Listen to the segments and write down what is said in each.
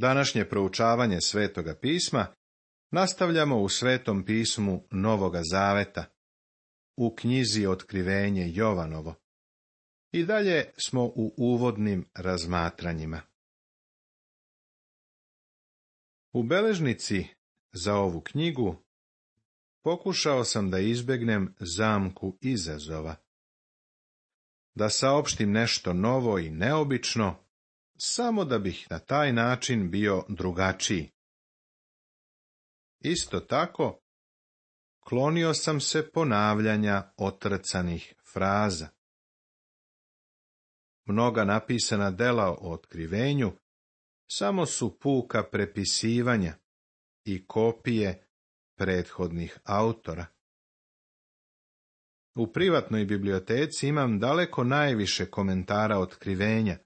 Današnje proučavanje Svetoga pisma nastavljamo u Svetom pismu Novoga Zaveta, u knjizi Otkrivenje Jovanovo. I dalje smo u uvodnim razmatranjima. U beležnici za ovu knjigu pokušao sam da izbegnem zamku izazova, da saopštim nešto novo i neobično, samo da bih na taj način bio drugačiji. Isto tako, klonio sam se ponavljanja otrcanih fraza. Mnoga napisana dela o otkrivenju samo su puka prepisivanja i kopije prethodnih autora. U privatnoj biblioteci imam daleko najviše komentara otkrivenja,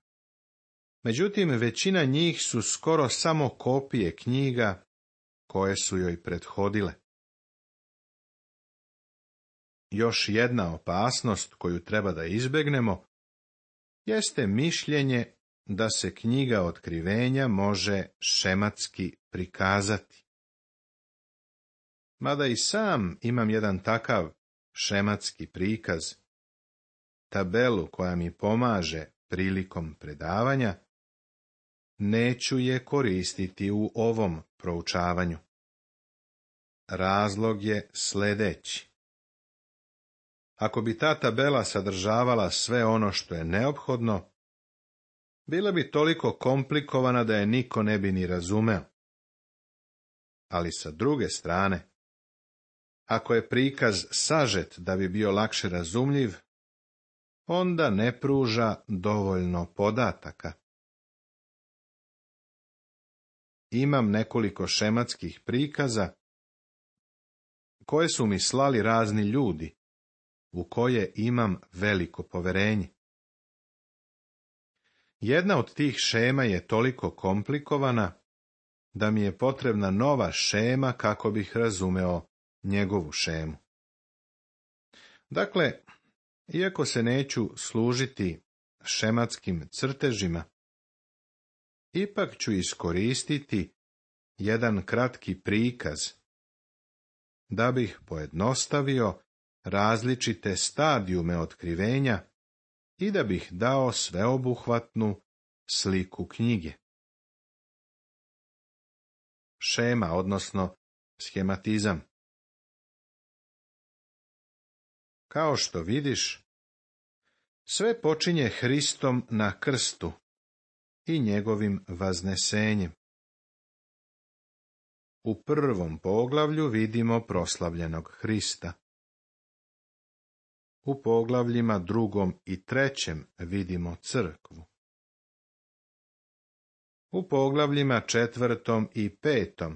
međutim većina njih su skoro samo kopije knjiga koje su joj prethodile. Još jedna opasnost koju treba da izbegnemo jeste mišljenje da se knjiga Otkrivenja može šematski prikazati. Mada i sam imam jedan takav šematski prikaz, tabelu koja mi pomaže prilikom predavanja, neću je koristiti u ovom proučavanju. Razlog je sljedeći. Ako bi ta tabela sadržavala sve ono što je neophodno, bila bi toliko komplikovana da je niko ne bi ni razumeo. Ali sa druge strane, ako je prikaz sažet da bi bio lakše razumljiv, onda ne pruža dovoljno podataka. Imam nekoliko šematskih prikaza koje su mi slali razni ljudi, u koje imam veliko poverenje. Jedna od tih šema je toliko komplikovana da mi je potrebna nova šema kako bih razumeo njegovu šemu. Dakle, iako se neću služiti šematskim crtežima, ipak ću iskoristiti jedan kratki prikaz da bih pojednostavio različite stadijume otkrivenja i da bih dao sveobuhvatnu sliku knjige. Šema, odnosno schematizam. Kao što vidiš, sve počinje Hristom na krstu i njegovim vaznesenjem. U prvom poglavlju vidimo proslavljenog Hrista. U poglavljima 2. i 3. vidimo crkvu. U poglavljima 4. i 5.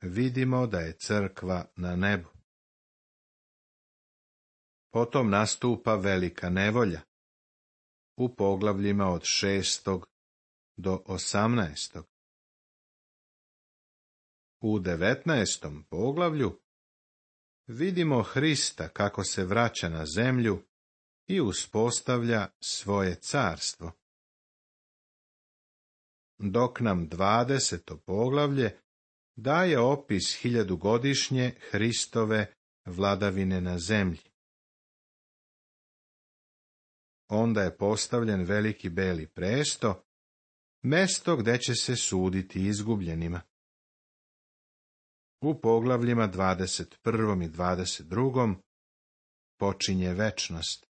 vidimo da je crkva na nebu. Potom nastupa velika nevolja. U poglavljima od 6. do 18. U 19. poglavlju vidimo Hrista kako se vraća na zemlju i uspostavlja svoje carstvo. Dok nam 20. poglavlje daje opis 1000-godišnje Hristove vladavine na zemlji. Onda je postavljen veliki beli presto, mesto gde će se suditi izgubljenima. U poglavljima 21. i 22. počinje večnost.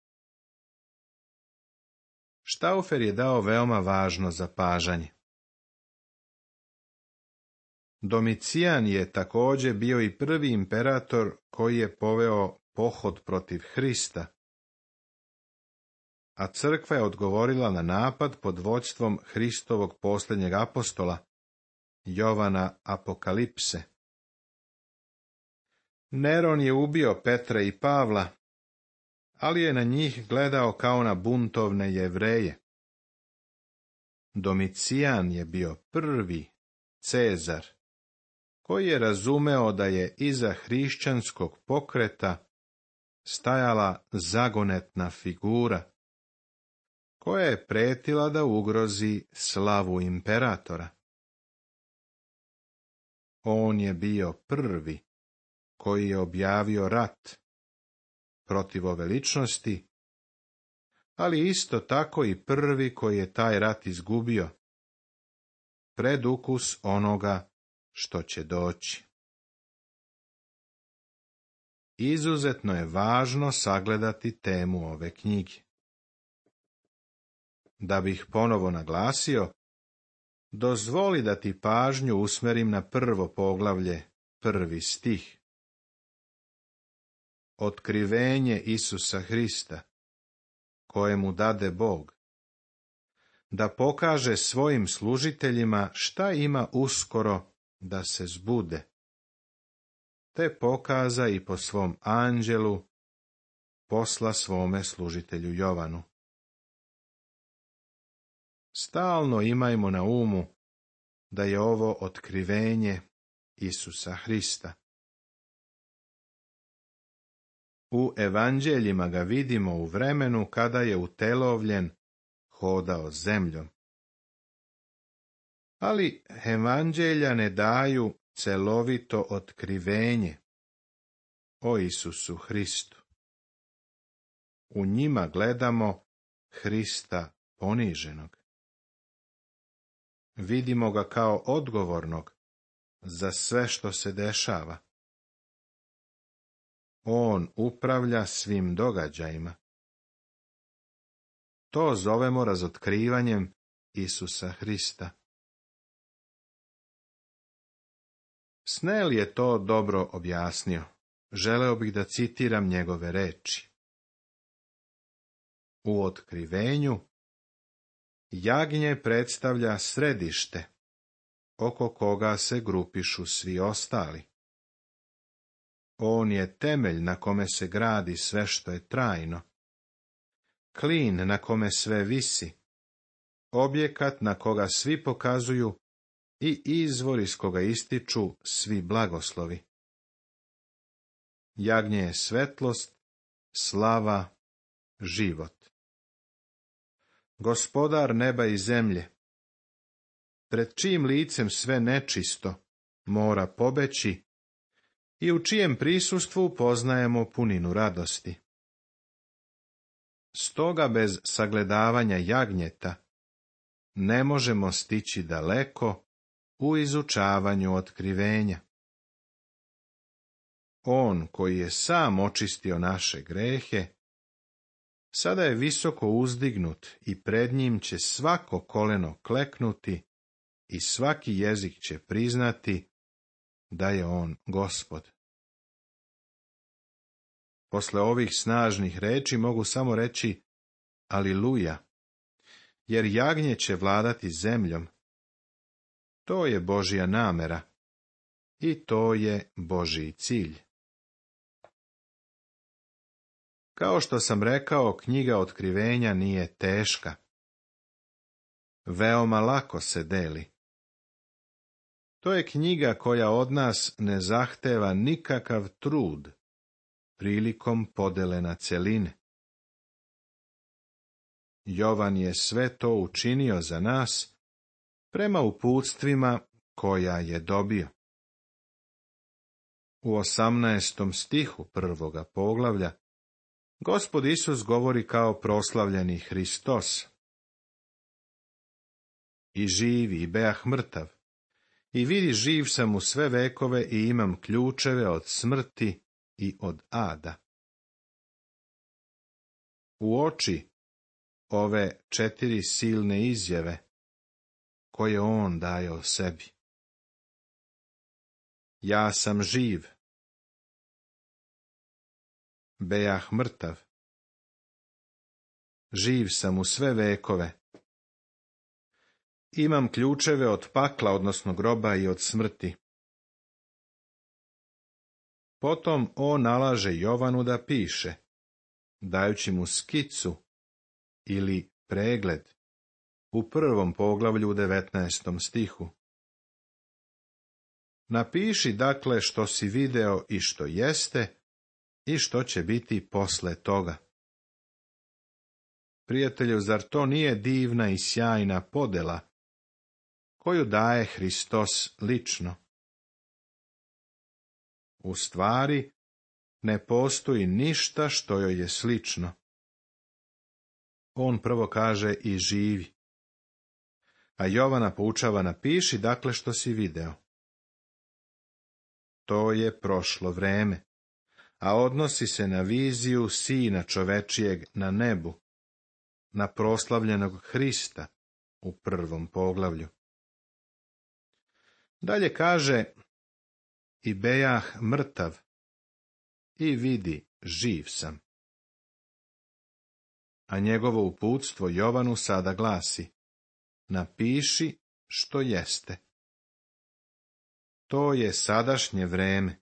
Štaufer je dao veoma važno zapažanje. Domicijan je također bio i prvi imperator koji je poveo pohod protiv Hrista, a crkva je odgovorila na napad pod vođstvom Hristovog posljednjeg apostola, Jovana Apokalipse. Neron je ubio Petra i Pavla, ali je na njih gledao kao na buntovne Jevreje. Domicijan je bio prvi Cezar, koji je razumeo da je iza hrišćanskog pokreta stajala zagonetna figura, koja je pretila da ugrozi slavu imperatora. On je bio prvi koji je objavio rat protiv ove ličnosti, ali isto tako i prvi koji je taj rat izgubio, predukus onoga što će doći. Izuzetno je važno sagledati temu ove knjige. Da bih ponovo naglasio, dozvoli da ti pažnju usmerim na prvo poglavlje, 1. stih. Otkrivenje Isusa Hrista, kojemu dade Bog, da pokaže svojim služiteljima šta ima uskoro da se zbude, te pokaza i po svom anđelu posla svome služitelju Jovanu. Stalno imajmo na umu da je ovo otkrivenje Isusa Hrista. U evanđeljima ga vidimo u vremenu kada je utelovljen hodao zemljom. Ali evanđelja ne daju celovito otkrivenje o Isusu Hristu. U njima gledamo Hrista poniženog. Vidimo ga kao odgovornog za sve što se dešava. On upravlja svim događajima. To zovemo razotkrivanjem Isusa Hrista. Snell je to dobro objasnio. Želeo bih da citiram njegove reči. U otkrivenju jagnje predstavlja središte, oko koga se grupišu svi ostali. On je temelj na kome se gradi sve što je trajno, klin na kome sve visi, objekat na koga svi pokazuju i izvor iz koga ističu svi blagoslovi. Jagnje je svetlost, slava, život. Gospodar neba i zemlje, pred čijim licem sve nečisto mora pobeći i u čijem prisustvu poznajemo puninu radosti. Stoga bez sagledavanja jagnjeta ne možemo stići daleko u izučavanju otkrivenja. On koji je sam očistio naše grehe, sada je visoko uzdignut i pred njim će svako koleno kleknuti i svaki jezik će priznati da je on Gospod. Posle ovih snažnih reči mogu samo reći Aliluja, jer jagnje će vladati zemljom. To je Božja namera i to je Božji cilj. Kao što sam rekao, knjiga Otkrivenja nije teška. Veoma lako se deli. To je knjiga koja od nas ne zahteva nikakav trud prilikom podele na cjeline. Jovan je sve to učinio za nas prema uputstvima koja je dobio. U 18. stihu 1. poglavlja Gospod Isus govori kao proslavljeni Hristos. I živi, i beah mrtav, i vidi živ sam u sve vekove i imam ključeve od smrti i od ada. Uoči ove 4 silne izjave koje on daje o sebi. Ja sam živ. Beah mrtav. Živ sam u sve vekove. Imam ključeve od pakla, odnosno groba i od smrti. Potom on nalaže Jovanu da piše, dajući mu skicu ili pregled u 1. poglavlju u 19. stihu. Napiši dakle što si video i što jeste i što će biti posle toga. Prijatelju, zar to nije divna i sjajna podela koju daje Hristos lično? U stvari, ne postoji ništa što joj je slično. On prvo kaže i živi. A Jovana poučava napiši dakle što si video. To je prošlo vreme, a odnosi se na viziju Sina čovečijeg na nebu, na proslavljenog Hrista u 1. poglavlju. Dalje kaže, i bejah mrtav, i vidi, živ sam. A njegovo uputstvo Jovanu sada glasi, napiši što jeste. To je sadašnje vreme,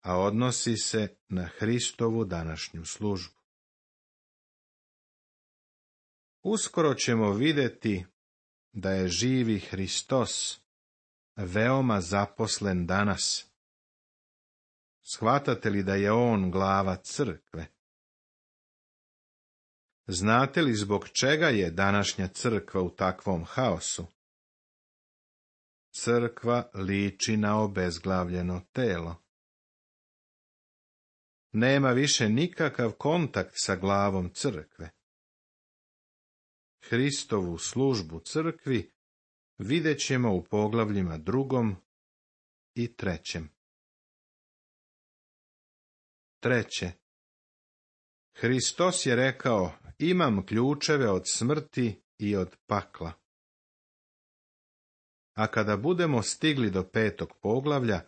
a odnosi se na Hristovu današnju službu. Uskoro ćemo vidjeti da je živi Hristos veoma zaposlen danas. Shvatate li da je on glava crkve? Znate li zbog čega je današnja crkva u takvom haosu? Crkva liči na obezglavljeno telo. Nema više nikakav kontakt sa glavom crkve. Hristovu službu crkvi vidjet ćemo u poglavljima 2. i 3. 3. Hristos je rekao, imam ključeve od smrti i od pakla. A kada budemo stigli do 5. poglavlja,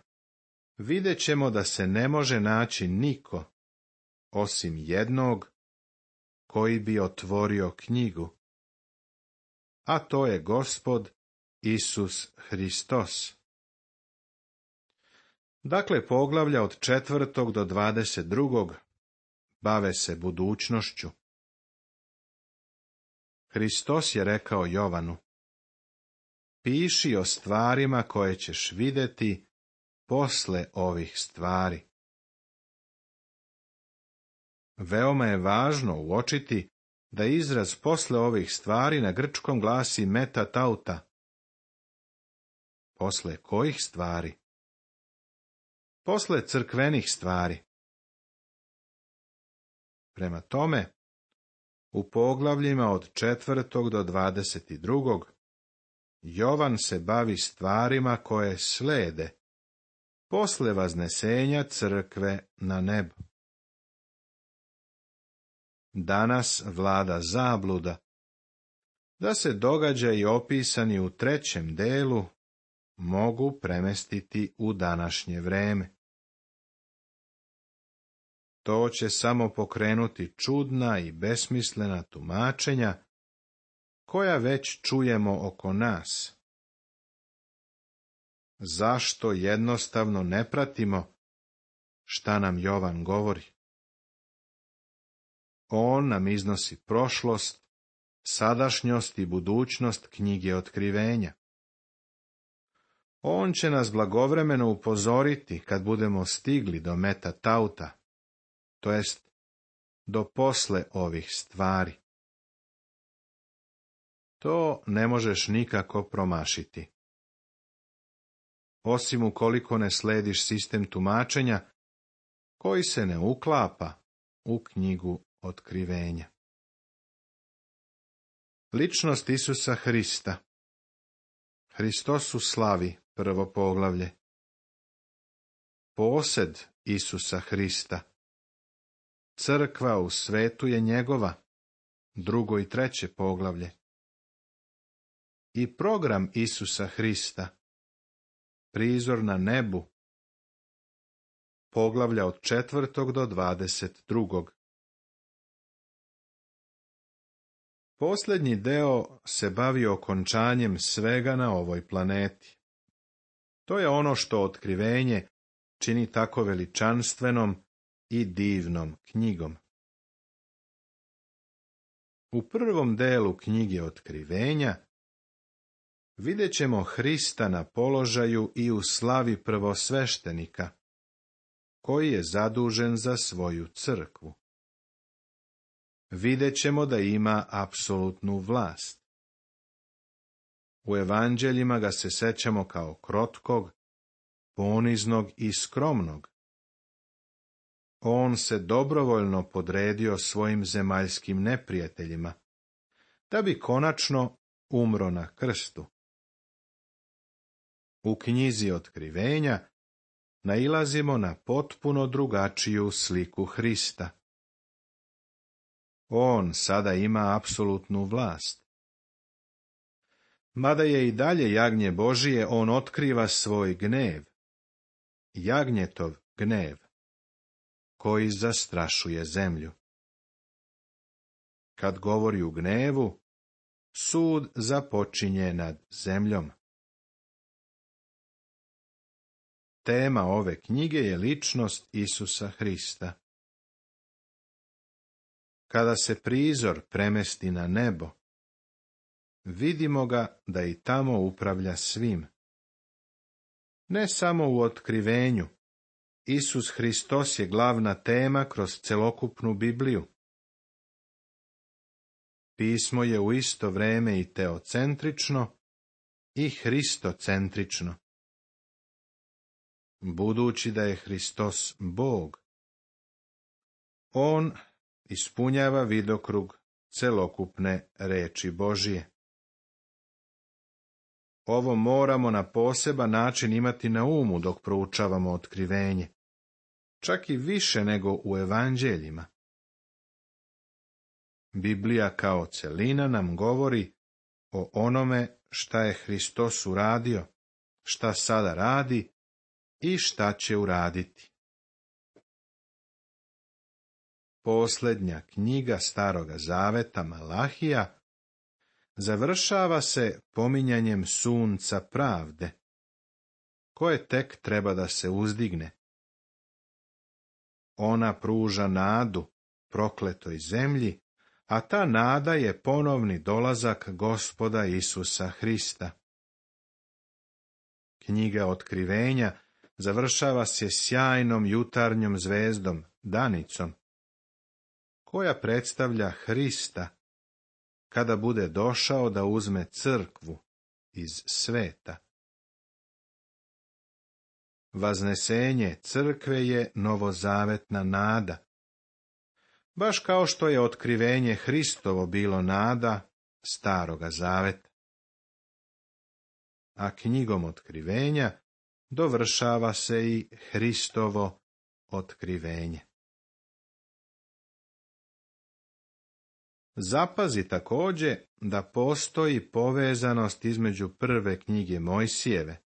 vidjet ćemo da se ne može naći niko, osim jednog, koji bi otvorio knjigu. A to je Gospod Isus Hristos. Dakle, poglavlja od 4. do 22. bave se budućnošću. Hristos je rekao Jovanu, piši o stvarima koje ćeš vidjeti posle ovih stvari. Veoma je važno uočiti da izraz posle ovih stvari na grčkom glasi meta tauta. Posle kojih stvari? Posle crkvenih stvari. Prema tome, u poglavljima od 4. do 22. Jovan se bavi stvarima koje slede posle vaznesenja crkve na nebo. Danas vlada zabluda da se događaji opisani u 3. delu mogu premestiti u današnje vreme. To će samo pokrenuti čudna i besmislena tumačenja koja već čujemo oko nas. Zašto jednostavno ne pratimo šta nam Jovan govori? On nam iznosi prošlost, sadašnjost i budućnost knjige Otkrivenja. On će nas blagovremeno upozoriti kad budemo stigli do meta tauta, to jest do posle ovih stvari. To ne možeš nikako promašiti. Osim ukoliko ne slediš sistem tumačenja koji se ne uklapa u knjigu Otkrivenja. Ličnost Isusa Hrista. Hristos u slavi, 1. poglavlje. Posed Isusa Hrista. Crkva u svetu je njegova, 2. i 3. poglavlje. I program Isusa Hrista. Prizor na nebu. Poglavlja od 4. do 22. Posljednji deo se bavi okončanjem svega na ovoj planeti. To je ono što Otkrivenje čini tako veličanstvenom i divnom knjigom. U 1. delu knjige Otkrivenja vidjet ćemo Hrista na položaju i u slavi prvosveštenika, koji je zadužen za svoju crkvu. Vidjet ćemo da ima apsolutnu vlast. U evanđeljima ga se sećamo kao krotkog, poniznog i skromnog. On se dobrovoljno podredio svojim zemaljskim neprijateljima, da bi konačno umro na krstu. U knjizi Otkrivenja nailazimo na potpuno drugačiju sliku Hrista. On sada ima apsolutnu vlast. Mada je i dalje jagnje Božije, on otkriva svoj gnev, jagnjetov gnev, koji zastrašuje zemlju. Kad govori u gnevu, sud započinje nad zemljom. Tema ove knjige je ličnost Isusa Hrista. Kada se prizor premesti na nebo, vidimo ga da i tamo upravlja svim. Ne samo u Otkrivenju, Isus Hristos je glavna tema kroz celokupnu Bibliju. Pismo je u isto vreme i teocentrično i hristocentrično. Budući da je Hristos Bog, on ispunjava vidokrug celokupne reči Božije. Ovo moramo na poseban način imati na umu dok proučavamo Otkrivenje, čak i više nego u evanđeljima. Biblija kao celina nam govori o onome šta je Hristos uradio, šta sada radi i šta će uraditi. Posljednja knjiga Staroga zaveta, Malahija, završava se pominjanjem sunca pravde, koje tek treba da se uzdigne. Ona pruža nadu prokletoj zemlji, a ta nada je ponovni dolazak Gospoda Isusa Hrista. Knjiga Otkrivenja završava se sjajnom jutarnjom zvezdom, danicom, koja predstavlja Hrista, kada bude došao da uzme crkvu iz sveta. Vaznesenje crkve je novozavetna nada, baš kao što je Otkrivenje Hristovo bilo nada Staroga zaveta. A knjigom Otkrivenja dovršava se i Hristovo otkrivenje. Zapazi također da postoji povezanost između prve knjige Mojsijeve,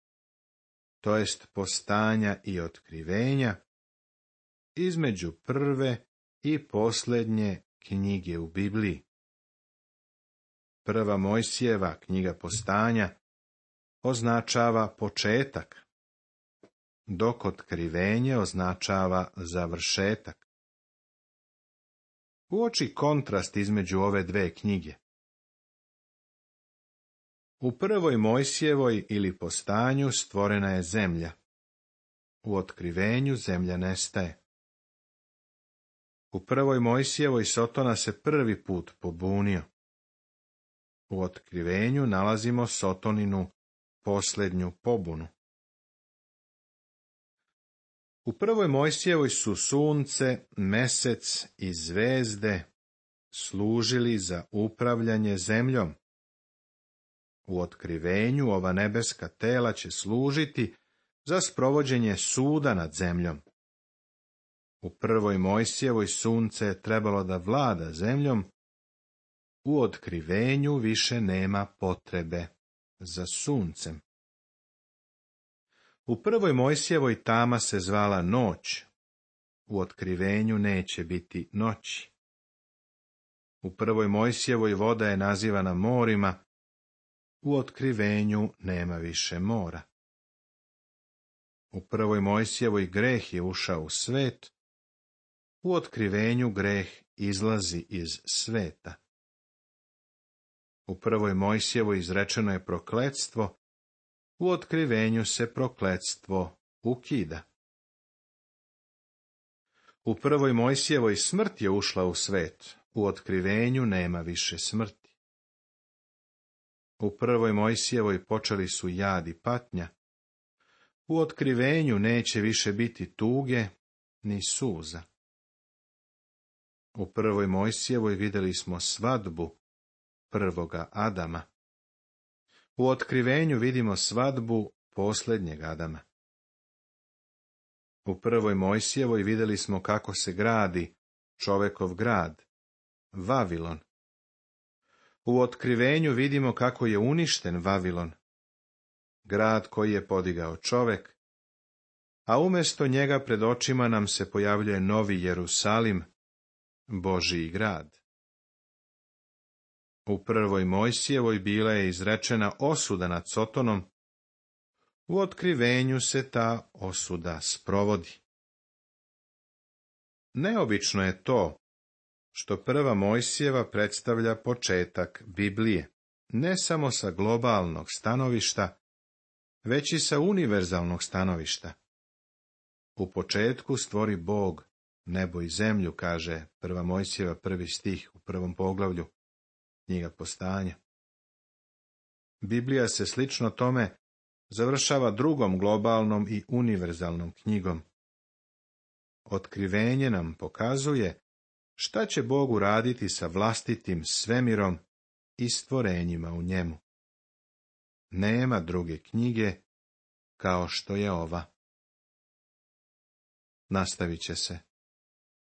to jest Postanja i Otkrivenja, između prve i posljednje knjige u Bibliji. Prva Mojsijeva knjiga Postanja označava početak, dok Otkrivenje označava završetak. Uoči kontrast između ove dve knjige. U prvoj Mojsijevoj ili Postanju stvorena je zemlja. U Otkrivenju zemlja nestaje. U prvoj Mojsijevoj Sotona se prvi put pobunio. U Otkrivenju nalazimo Sotoninu posljednju pobunu. U prvoj Mojsijevoj su sunce, mesec i zvezde služili za upravljanje zemljom. U Otkrivenju ova nebeska tela će služiti za sprovođenje suda nad zemljom. U prvoj Mojsijevoj sunce je trebalo da vlada zemljom, u Otkrivenju više nema potrebe za suncem. U prvoj Mojsijevoj tama se zvala noć, u Otkrivenju neće biti noći. U prvoj Mojsijevoj voda je nazivana morima, u Otkrivenju nema više mora. U prvoj Mojsijevoj greh je ušao u svet, u Otkrivenju greh izlazi iz sveta. U prvoj Mojsijevoj izrečeno je prokletstvo, u Otkrivenju se prokletstvo ukida. U prvoj Mojsijevoj smrt je ušla u svet, u Otkrivenju nema više smrti. U prvoj Mojsijevoj počeli su jad i patnja, U otkrivenju neće više biti tuge ni suza. U prvoj Mojsijevoj vidjeli smo svadbu prvoga Adama. U otkrivenju vidimo svadbu posljednjeg Adama. U prvoj Mojsijevoj vidjeli smo kako se gradi čovekov grad, Vavilon. U otkrivenju vidimo kako je uništen Vavilon, grad koji je podigao čovek, a umjesto njega pred očima nam se pojavljuje novi Jerusalim, Božji grad. U prvoj Mojsijevoj bila je izrečena osuda nad Sotonom, u otkrivenju se ta osuda sprovodi. Neobično je to što prva Mojsijeva predstavlja početak Biblije, ne samo sa globalnog stanovišta, već i sa univerzalnog stanovišta. U početku stvori Bog nebo i zemlju, kaže prva Mojsijeva 1. stih u 1. poglavlju knjiga Postanja. Biblija se slično tome završava drugom globalnom i univerzalnom knjigom. Otkrivenje nam pokazuje šta će Bog uraditi sa vlastitim svemirom i stvorenjima u njemu. Nema druge knjige kao što je ova. Nastavit će se